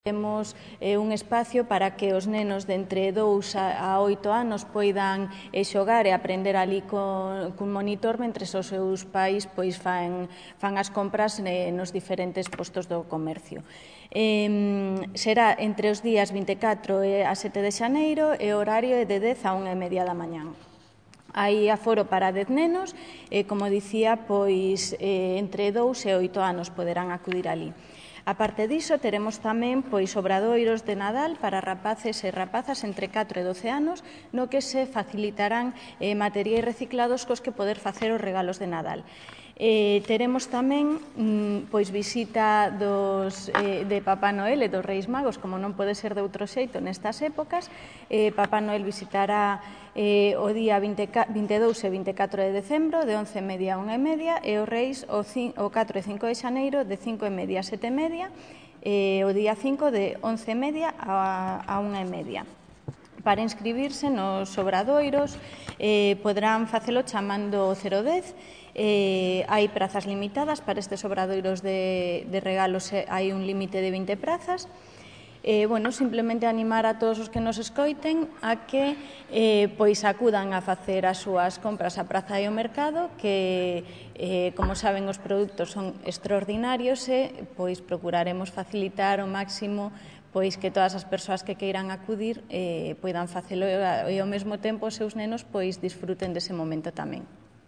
Temos un espacio para que os nenos de entre 2 a 8 anos poidan xogar e aprender ali cun monitor mentre os seus pais fan as compras nos diferentes postos do comercio. Será entre os días 24 e a 7 de xaneiro e o horario é de 10 a 1:30 da mañán. Hai aforo para 10 nenos e, como dicía, entre 2 e 8 anos poderán acudir ali. A parte diso, teremos tamén obradoiros de Nadal para rapaces e rapazas entre 4 e 12 anos, no que se facilitarán materiais reciclados cos que poder facer os regalos de Nadal. Teremos tamén visita de Papá Noel e dos Reis Magos, como non pode ser de outro xeito nestas épocas. Papá Noel visitará o día 22 e 24 de decembro, de 11:30 a 1:30, e os Reis o 4 e 5 de xaneiro, de 5:30 a 7:30, e o día 5 de 11:30 a 1:30. Para inscribirse nos obradoiros poderán facelo chamando o 010. Hai prazas limitadas para estes obradoiros de regalos, hai un límite de 20 prazas. Simplemente animar a todos os que nos escoiten a que acudan a facer as súas compras á praza e ao mercado, que, como saben, os produtos son extraordinarios e procuraremos facilitar ao máximo que todas as persoas que queiran acudir poidan facelo e ao mesmo tempo os seus nenos disfruten dese momento tamén.